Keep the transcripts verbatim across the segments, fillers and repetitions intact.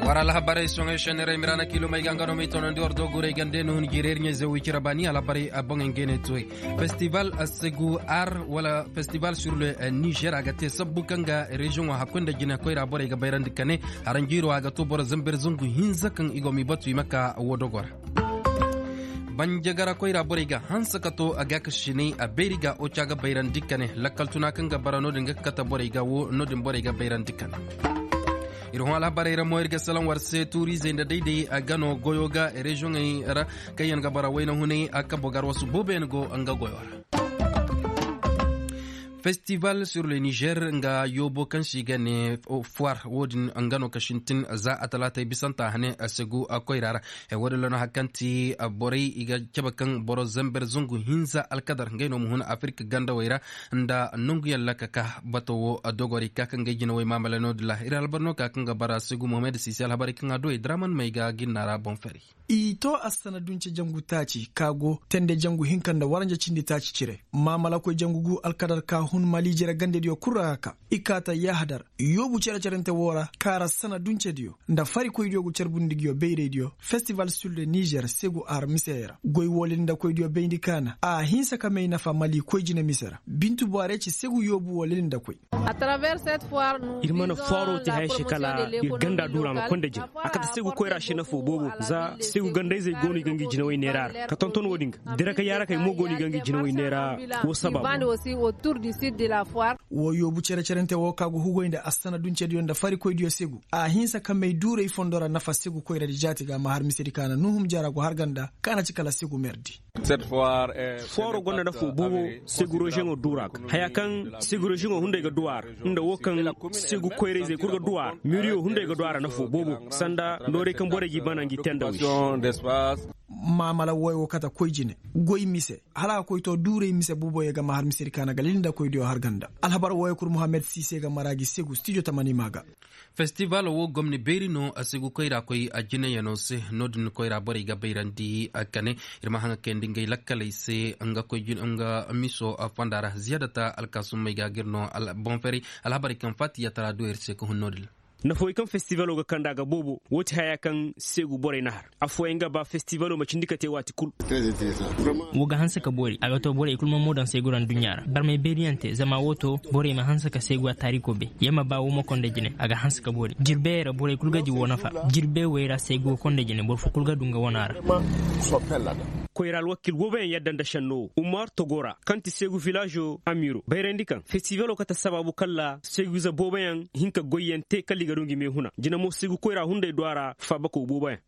War alhabarey soŋey šenirey mirana kilomey ga nga no may tonandi war doguray gande no hun jireer ɲey ze wicira baani alhabarey a boŋey ngey ne toy. Festival segu ar wala festival sur le niger a ga te sabbu kaŋ ga reziyoŋo hakkoy nda jine koyra borey ga bayrandi kane. Haranjiiro a ga to boro zamber zangu hinza kaŋ i go m'i batu i ma ka wo dogo ra. Banjagara koyra borey ga hanse ka to a gaakasinay a beeri ga oca ga bayrandi kane lakkal tuna kaŋ ga bara no- din ga kate borey ga wo no- din borey ga bayrandi kane. Ir hõ alhabarey ra mo ir ga salaŋ war se tuuriizey nda dayday a gano goyo ga reziyoŋey ra kaŋ yaŋ ga bara wayna hunay a kabo gar wasu boobo yaŋ go nga goyo ra. Festival sur le niger nga yoobo kaŋ se i ga ne foir wo- din nga no ka sintin za a talaatey bisanta hane a segu koyra ra. Wo- din ra no hari kaŋ ti borey i ga cabe kaŋ boro zamber zangu hinza alkadar ngey no ma hun afirik gandawey ra nda nanguyaŋ ra ka ka bato wo dogorey ka kaŋ ga ay jinawey maamala no- din ra ir alhabar no ka kaŋ ga bara segu mohamed sisi alhabarey kaŋ a du ay draman may ga ginna ra boŋ fari. I to assana dunce jangu taaci ka go tende jangu hinka nda waranja cindi taaci cire maamalakoy jangu gu alkadar ka hun maliijere gandediyo kul ra ka ka i kaata yahadar yoobu cere-cerente woo ra kaara sana duncediyo nda farikoydiyo gu carbundi nguyo bayraydiyo festival sur le niger segu ar miseyey ra goy woo lilindakoydiyo bayndi kaana a hinsa ka may nafa mali koy jine mise ra bintu bwaarey ci segu yoobu woo lilindakoy. Ir mana foiroo te haya se kala ir ganda duura ma konda jine a kate segu koyra se nafoo boobo za segu gandayzey go no i ga ngi jinawey neera ra ka tonton woo din ga dira ka yaarakey mo go no i ga ngi jinawey neera. Woo sabaabu. Woo yoobu cere-cerente woo ka go hugoy nda assana duncediyo nda farikoydiyo segu a hinsa ka may duuray fondo ra nafa segu koyradi jaati ga a ma har misedi ka na nuhum jara go har ganda ka na ci kala segu merdi. Foiroo gonda nafoo boobo segu reziyoŋo duura ga haya kaŋ segu reziyoŋo hunday ga du a ra nda woo kaŋ segu koyrayzey kul ga du a ra miriyo hunday ga du a ra nafoo boobo sanda nooray kaŋ borey g'i bana ngi te nda wi. Maamala woy wo kate koy jine goy mise hala a ga koy to duuray mise booboyo ga ma har misedi kaana ga lilindakoydiyo har ganda alhabar woyo kul muhammad siise ga mara gi segu stijo tamani maa ga. Festival woo gomni beeri no a segu koyra koy a jinayano se no- din koyra borey ga bayrandi kane. Ir ma haŋa kayandi ngey lakkaley se nga koy jin nga miso fonda ra ziyaadata alkaasummey ga gir no boŋ ferey alhabarey kaŋ faatiya tara du ir se ka hun no- din ra. Nafawey kaŋ festivalo ga kanda ga boobo woo ti haya kaŋ seegu borey na har affooyaŋ ga ba festivalo ma cindi ka te waati kul. Woo ga hanse ka boori a ga to borey kul ma moo daŋ seegu ra nduɲɲa ra barmay beeriyaŋ te zama woo to borey ma hanse ka seegu a taariko bay ya ma ba woo ma konda jine a ga hanse ka boori jirbeyey ra borey kul ga di woo nafa. Jirbey wey ra seegu ga konda jine boro fo kul ga du nga wana ra. Koyra alwakiil booboyaŋ yadda nda šenno woo umar togo ra kaŋ ti seegu vilaazo amiiro bayrandi kaŋ festivalo kate sabaabu kala seegu ize booboyaŋ hin ka goyyaŋ te kala i ga du ngi meehuna jina mo seegu koyra hunday du a ra faabakow booboyaŋ.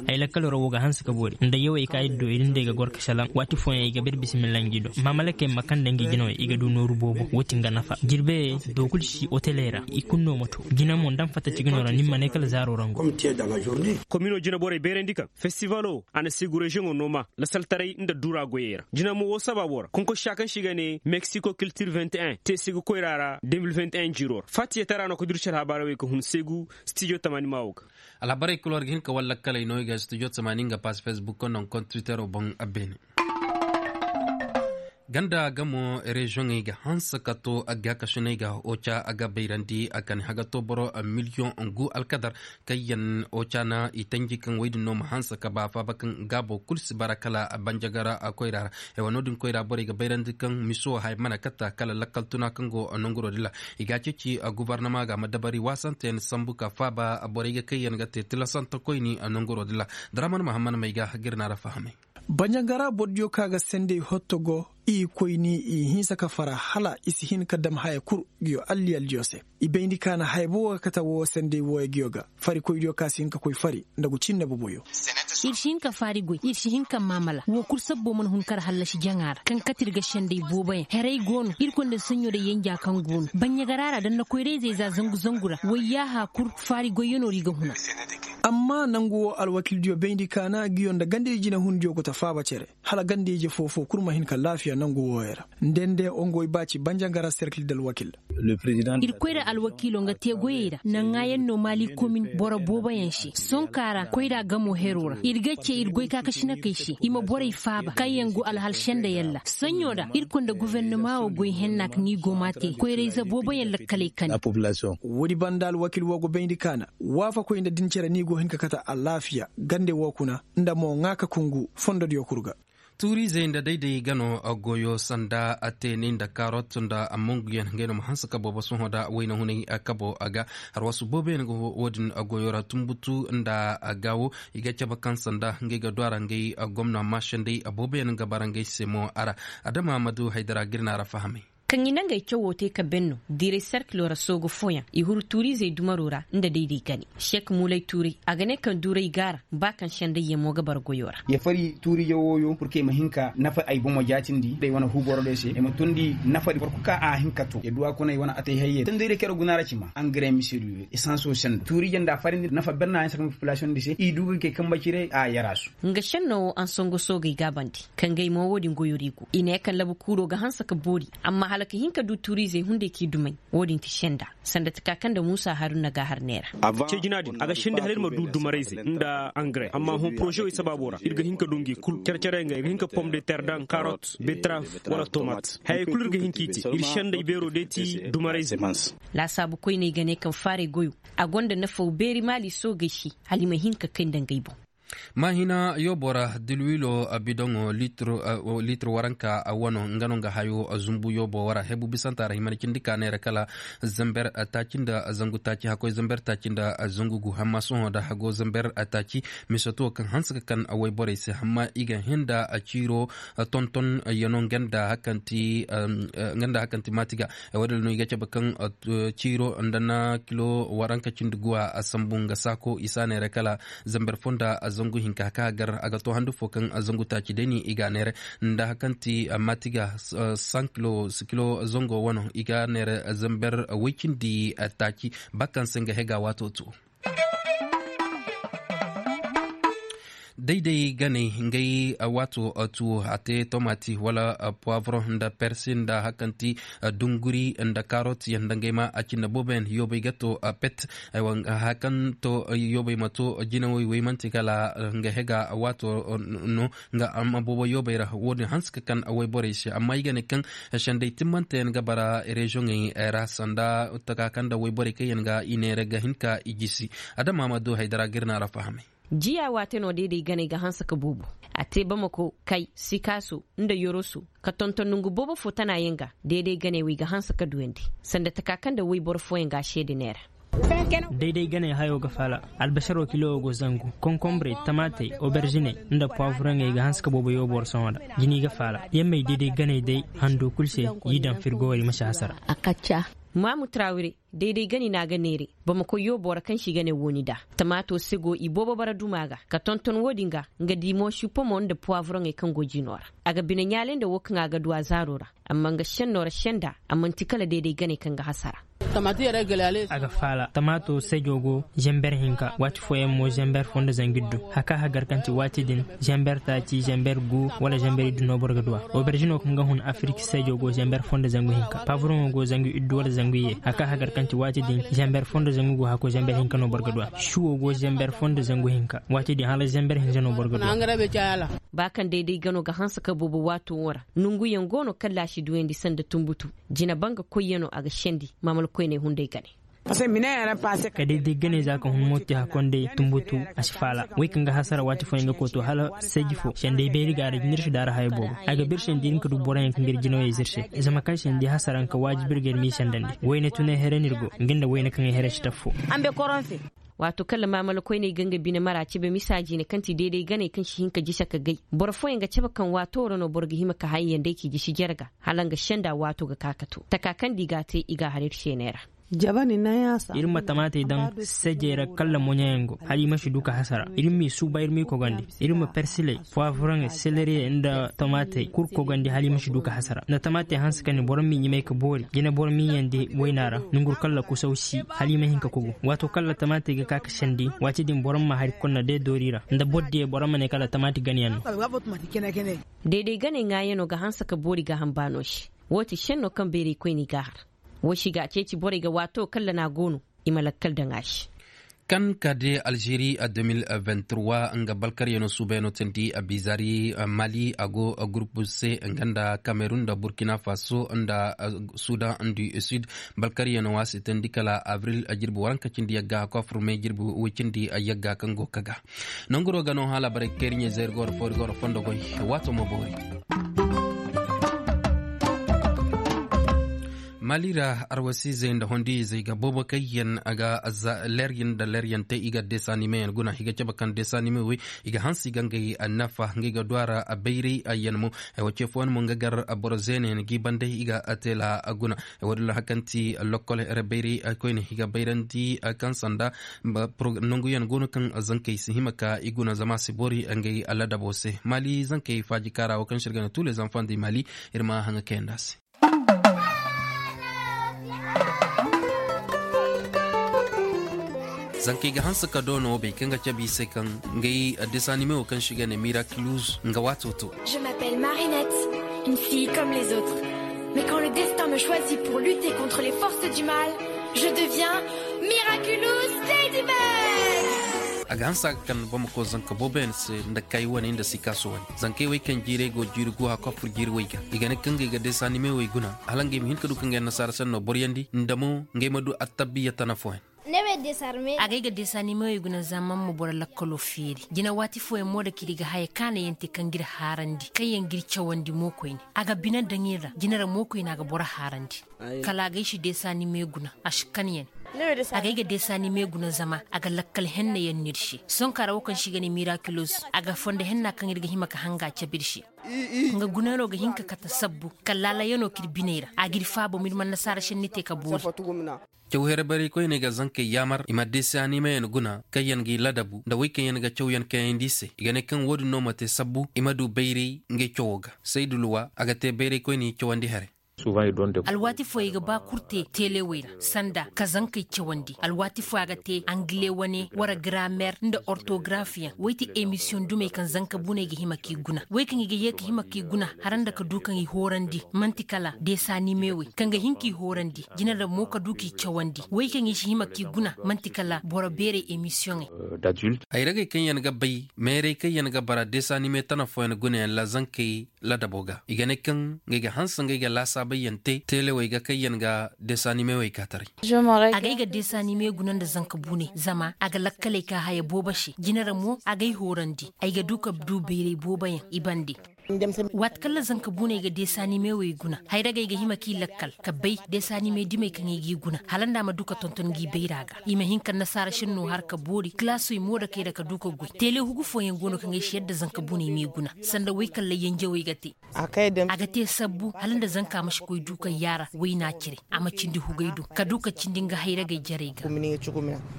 Ay lakkalo ra woo ga hanse ka boori nda yawey ka ir du ir nda ay ga gor ka šelaŋ waati fooyaŋ ay ga bir bisimilla ngi do maamalakey ma kaŋ nda ngi jinawey i ga du nooru boobo woo ti nga nafa jirbeyey do kul si oteley ra i kul no ma to jina mo nda ma fatta ci ga no ra ni ma ne kala zaaro ra ngo. Komino jinaborey bayrandi kaŋ festivalo a na seegu reziyoŋo nooma lasaltaray nda duura goyey ra jina mo woo sabaabo ra konkosa kaŋ se i ga ne meksiko kiltir vingt et un te seegu koyra ra deux mille vingt et un jiiro ra faatiyatara no ka durci alhabaarey wey ka hun seegu stijo tamaani maa woo ga. Alhabarey kul war ga hin ka war lakkaley no i ga studio tamaani nga pass facebook nda nga kont twittero boŋ. Beene ganda gamo reziyoŋey ga hanse ka to a ga kasiney ga oca a ga bayrandi a kani haga to boro miliyoŋ ngu alkadar kaŋ yaŋ oca na i tanji kaŋ wey din no ma hanse ka ba faaba kaŋ gaabo kul si bara kala banjagara koyra ra. Ay wa no- din koyra borey ga bayrandi kaŋ miso hay mana kata kala lakkal tuna kaŋ go nanguro din ra. I ga a ceeci gubarnama ga ma dabari waasanteyaŋ sambu ka faaba borey ga kaŋ yaŋ ga te tilasante koyni nanguro din ra. Daraman mahammad may ga ga ir na ra fahamay. Banjangara borodiyo ka ga sendey hotto go i koyni i hinsa ka fara hala i si hin ka dam haya kul. Giyo alliyaldiyo se i bayndi ka na haya bobo ga kate woo sendey wooyo giyo ga farikoydiyo ka si hin ka koy fari nda gu cinne boboyo. Ir si hin ka faari goy ir si hin ka maamala woo kul sabbo mana hun kar hallasi jaŋa ra kaŋ kate ir ga sendey booboyaŋ heray go no ir konda saɲɲo day yanja kaŋ go no banɲagara ra danna koyrayzey za zangu zangu ra wayyaaha kul faari goyyanoo ra i ga huna. Amma nangu woo alwakildiyo bayndi kaana ngiyo nda gandey jinehundiyo go ta faaba cere, hala gandey-ize foo-foo kul ma hin ka laafiya nangu wooyo ra. Nde nde ongoy baaci banjangara serkil dalwakil. Ir koyra alwakiiloo nga tee goyey ra na ŋaayaŋ no maali komin boro booboyaŋ se sonkaa ra koyra gamoo heroo ra ir ga cee ir goykaakasinakey se i ma borey faaba kaŋyaŋ go alhal sendayaŋ ra saɲɲo ra ir koy nda gofornama woo goy henna ka n'i go m'a tee koyra-ize booboyaŋ lakkaley kani. Woodi banda alwakiil woo go bayndi kaana waafakoy nda din cere n'i go hin ka kate alaafiya gande woo kuna nda mo ŋaa ka kungu fondodiyo kul ga. Tuuriizey nda dayday gano goyo sanda teenay nda kaarot nda monguyaŋ ngey no ma hanse ka boobo sohõ nda wayna hunay kabo ga. Harwasu booboyaŋ ga woodin goyo ra tumbutu nda gaawo i ga cabe kaŋ sanda ngey ga du a ra ngey gomna maašandey booboyaŋ ga bara ngey se mo a ra. Adama ma du haydara ga ir na a ra fahamay. Kaŋ i na ngey cawoo te ka ben no diiray serkiloo ra soogu fooyaŋ i huru tuuriizey dumaroo ra nda dayday gane. Sek muulay tuuray a ga ne kaŋ duuray gaara ba kaŋ sendayyaŋ mo ga bara goyoo ra. Ya fari tuuriije wooyo purke ay ma hin ka nafa ay bomo jaatindi nda ay wane huuborodiyo se ay ma tundi nafadi boro kul kaŋ a hin ka too ya duw'a kuna ay wane atay hayyey tondayra kero guna ra cima angare mise du. Esansoo sendo tuuriije nda a farindi nafa bernaayaŋ se kaŋ popilasiyoŋ di se i du ga kay kambe cire a yaraasu. Nga šennoo woo ansongo soogey gaabandi ka ngey mo woodin goyoo ra i go i ne kaŋ labu kuuroo ga hanse ka boori. Amma hala ka hin ka du tuuriizey hunday k'i dumay. Woodin ti senda sanda taka kaŋ nda muusa haruna ga a har neera. Cee jina din a ga senda hala ir ma du dumarayze nda angare amma hõ poroze wey sabaaboo ra ir ga hin ka du ngi kul care-care nga ir ga hin ka pom de ter daŋ karot betraf wala tomat. Hayey kul ir ga hin k'i te ir sendey beeroo day ti dumarayze. Laasaabu koyney ga ne kaŋ faaray goyoo a gonda nafaw beeri maali soogey se hala i ma hin ka kay nda ngey boŋ. Maahina yoobo ra dilwilo bidoŋo liitir waranka wano nga no nga hayo zumbu yoobo wara hebu bisanta ra hima na cindi ka neera kala zamber taaci nda zangu taaci hakkoy zamber taaci nda zangu gu hamma sohõ da hago zamber taaci. Misoto kaŋ hanse ka kan wayborey se hamma i ga hin da ciiro tonton yano nga nda hakanti maati ga. Wadala no i ga cabe kaŋ ciiro nda na kilo waranka cindi guwa a sambu nga saako i si a neera kala zamber fo nda zangu hinka ka gar a ga to handu fo kaŋ zangu taaci day ni i ga a neera nda hakanti maati ga san kilo zango wano i ga a neera zamber woy cindi taaci. Ba kaŋ se nga hega waato to. Day-day ganey ngey waato tuwo a te tomati wala puwavron nda persi nda hakanti dunguri nda karot yaŋ nda ngey ma a cinda boobo yaŋ yoobey ga to pet. Hakanto yoobey ma to jinawey wey manti kala nga hega waato no nga amma boobo yoobey ra wo-din hanse ka kan wayborey se amma i ga ne kaŋ sendey timmante yaŋ ga bara reziyoŋey ra sanda taka kaŋ nda wayborey kaŋ yaŋ ga i neera ga hin ka i jisi. Adama ma du haydara ga ir na ra fahamay. Jiya waate no deeday ganey ga hanse ka boobo. A te bamako kay sikaaso nda yoroso ka tonton nongu boobo fo tana yaŋ ga. Deeday ganey wey ga hanse ka duyandi sanda taka kaŋ nda wayboro fooyaŋ ga a seede neera. Dayday ganey hayo ga faala albasaro kilo go zangu konkombre tamaatey oberžiney nda puwavuraŋey ga hanse ka boobo yoobo ra sohõ ra. Jini ga faala yammey dayday ganey day hando kul se. Y'i daŋ firgo wala i ma si hasara. Maamu trawire dayday gani no a ga neere bamako yoobo ra kaŋ se i ga ne wooni nda tamaato se go i boobo bara duma ga ka tonton wo-din ga. Nga di mo sipomo nda puwavuraŋey kaŋ go jino ra a ga bine ɲaalay nda wo kaŋ a ga du a zaaro ra. Amma nga senno ra senda a man'ti kala dayday ganey kaŋ ga hasara. A ga faala tamaato sejo go zember hinka waati fooyaŋ mo zember fo nda zangu iddu haka hagar kaŋ ti waati din zember taaci zember gu wala zember iddu no boro ga duw'a. Oberžino kaŋ ga hun afirik sejo go zember fo nda zangu hinka pavroŋo go zangu iddu wala zangu iyye haka hagar kaŋ ti waati din zember fo nda zangu gu hako zember hinka no boro ga duw'a. Suwo go zember fo nda zangu hinka waati din hala zember hinza no boro ga duw'a. Ba kaŋ dayday gano ga hanse ka boobo waato wo ra nonguyaŋ go no kaŋ laasi duyandi sanda tunbutu. Jina banga koyyaŋo a ga sendi maamala koyney hunday gane. Ka dayday ganey za ka hun mo te hakondey tunbutu a si faala wey kaŋ ga hasara waati fooyaŋ ga koto hala seeji fo sendey beeri ga a ra jinir si daara haya boobo. A ga bir sendi ir nka du boroyaŋ kaŋ ga ir jinawey zirse zama kaŋ sendi hasara nka waajib ir ga ir m'i sendandi wayne tunay here no ir go nga nda wayne kaŋ ay here si taffo. Waato kaŋ ra maamala koyney ga nga bine mara cabe misa jiine kaŋ ti deeday ganey kaŋ si hin ka jise ka gay boro fooyaŋ ga cabe kaŋ waato ra no boro ga hima ka hayey yaŋ day k'i jisi jarga. Hala nga senda waato ga ka ka to taka kaŋ nda i g'a te i g'a har ir seeney ra. Ir ma tamaatey daŋ sajey ra kalla moɲayaŋ go hala i ma si du ka hasara. Ir m'i suuba ir m'i kogandi. Ir ma persiley, poivraŋey, seleriyey nda tamaatey kul kogandi hala i ma si du ka hasara nda tamaatey hanse ka ne boro m'i ɲumay ka boori jine boro m'i yandi waynaa ra. Nongu kalla kusaw si hala i ma hin ka kogu. Waato kalla tamaatey ga ka ka sendi waati din boro ma hari konna day doori ra nda boro diya boro ma ne kala tamaati ganayaŋ no. Dayday ganey ŋaayanoo ga hanse ka boori gaaham baanoo se. Woo ti šennoo kaŋ bayraykoyney g'a har. Woo si ga a ceeci borey ga waatoo kalla n'a go no i ma lakkal daŋ a se. Kan ka de alžeri a deux mille vingt-trois nga balkaryanoo suubayanoo teendi a bizari mali a go gurup se nga nda kamerun nda burkina faso nda sudan du sud. Balkaryanoo a si teendi kala abril jirbi waranka cindi yagga a kofur me jirbi woy cindi yagga kaŋ go ka ga. Nanguroo ga no hala barey kayri ɲezeeri goro foori goro fondo goy. Waatoo ma boori. Mali ra arwasiizey nda hondiizey ga boobo kayyaŋ a ga leeryaŋ nda leeryaŋ te i ga desanime yaŋ guna i ga cabe kaŋ desanime wey i ga hanse i ga ngey nafa ngey ga du a ra bayray yaŋ mo. Ay wo ce fooyaŋ mo nga gar boro zeene yaŋ g'i banday i ga teela guna. Ay wo- din ra hari kaŋ ti lokkol here bayray koyne i ga bayrandi kaŋ sanda nanguyaŋ go no kaŋ zankey si hima ka i guna zama a si boori ngey ladabo se mali zankey faaji kaara wo kaŋ se ir ga ne tuule zamfan di mali. Ir ma haŋa kayandi a se. Zankey ga hanse ka doono bay kaŋ ga cabe i se kaŋ ngey desanime wo kaŋ se i ga ne miraculus nga waato to. Je m'appelle Marinette, une fille comme les autres. Mais quand le destin me choisit pour lutter contre les forces du mal, je deviens miraculous ladybug. A ga hanse a ga kan bamako zanka booboyaŋ se nda kay wane nda sikaaso wane. Zankey wey kaŋ jiirey go jiiri go a kofur jiiri wey ga i ga ne kaŋ ngey ga desanime wey guna hala ngey ma hin ka du ka ngey annasaara sennoo boroyandi nda mo ngey ma du attabiya tana fooyaŋ. Agay ga desanime wey guna zama ma boro lakkaloo feeri jina waati fooyaŋ mo da kiri ga haya kaanayaŋ te kaŋ g'ir haarandi kaŋyaŋ g'ir cawandi mo koyne. A ga bine daŋ ir ra jina ra mo koyne a ga boro haarandi. Kala agay si desanime guna a si kan yaŋ. Agay ga desanime guna zama a ga lakkal henna yaŋ no ir se. Sonka ra wo kaŋ se i ga ne mirakilos a ga fondo henna kaŋ ir ga hima ka hanga cabe ir se. Nga gunayanoo ga hin ka kate sabbu kala laalayanoo k'ir biney ra a g'ir faaba ma ir ma annasaara senni te ka boori. Caw here bayraykoyney ga zankey yaamar i ma desanime yaŋ guna kaŋ yaŋ g'i ladabu nda wey kaŋ yaŋ ga cawyaŋ kayandi i se i ga ne kaŋ wo-din no ma te sabbu i ma du bayray ngey cawoo ga. Saydu luwa a ga te bayraykoyney cawandi here. Alwaati fooyaŋ i ga ba kul te teelewey ra sanda ka zankey cawandi alwaati fooyaŋ a ga te angile wane wara garaamer nda ortogarafiyaŋ wey ti emisiyoŋ dumey kaŋ zanka buney ga hima k'i guna wey kaŋ i ga yee ka hima k'i guna. Har nda ka du kaŋ i hoorandi man'ti kala desanime wey kaŋ ga hin k'i hoorandi jina nda mo ka du k'i cawandi wey kaŋ i si hima k'i guna man'ti kala boro beerey emisiyoŋey. Hayragey kaŋ yaŋ ga bay meerey kaŋ yaŋ ga bara desanime tana fooyaŋ gunayaŋ ra zankey ladabo ga i ga ne kaŋ ngey ga hanse ngey ga laasaabay yaŋ te teelewey ga kaŋ yaŋ ga desanime wey kaataray. Agay ga desanime guna nda zanka buney zama a ga lakkaley ka haya boobo se jina ra mo agay hoorandi ay ga du ka du bayray boobo yaŋ i bande. Waati kaŋ ra zanka buney ga desanime wey guna hayragey ga hima k'i lakkal ka bay desanime dumey kaŋ ay g'i guna hala nda a ma du ka tonton ngi bayra ga i ma hin ka annasaara senno har ka boori kilaasey moodakey ra ka du ka goy teele hugu fooyaŋ go no kaŋ ay si yadda zanka buney m'i guna sanda wey kaŋ ra yenjewey ga te. A ga te sabbu hala nda zanka ma si koy du ka yaara wayna cire a ma cindi hugay do ka du ka cindi nga hayragey jarey ga.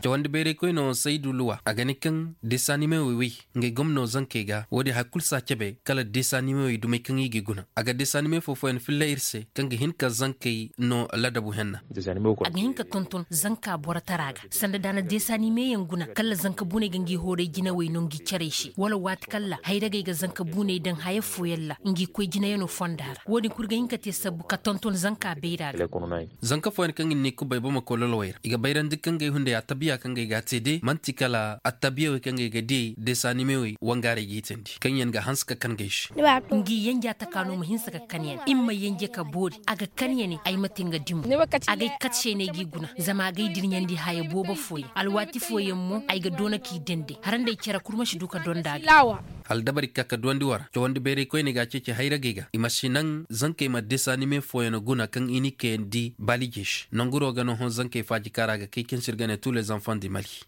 Cawandi bayraykoy no saydu luwa a ga ne kaŋ desanime wey wey ngey gomno zankey ga wo-din hari kulu si a cabe kala desanime wey dumey kaŋ i g'i guna a ga desanime foo-fooyaŋ filla ir se kaŋ ga hin ka zankey no ladabu henna. A ga hin ka tonton zanka borotara ga sanda da a na desanime yaŋ guna kala zanka buney ga ngi hooray jinawey no ngi carey se wala waati kala hayragey ga zanka buney daŋ haya fooyaŋ ra ngi koy jinayaŋo fonda ra wo-din kul ga hin ka te sabbu ka tonton zanka bayra ga. Zanka fooyaŋ kaŋ i na ni kubay bamako lolowey ra i ga bayrandi kaŋ gay hunday attabiya kaŋ gay ga a te de man'ti kala attabiya wey kaŋ gay ga diyey desanime wey wangaarey g'i teendi kaŋ yaŋ ga hanse ka kan gay se. Ngi yenja taka no ma hinse ka kan yaŋ i ma ma yenje ka boori a ga kan yaŋ ay ma te nga dimo. Agay kat se no ay g'i guna zama agay dirɲandi haya boobo fooyaŋ alwaati fooyaŋ mo ay ga doona k'i dende har nda ay cere kul ma si du ka donda ga. Hala dabari ka ka duwandi war cawandi bayray koyne ga a ceeci hayragey ga i ma si naŋ zankey ma desanime fooyaŋ guna kaŋ i n'i kayandi balijey se nanguro ga no hõ zankey faaji kaara ga kay kaŋ se ir ga ne tous les enfants du mali.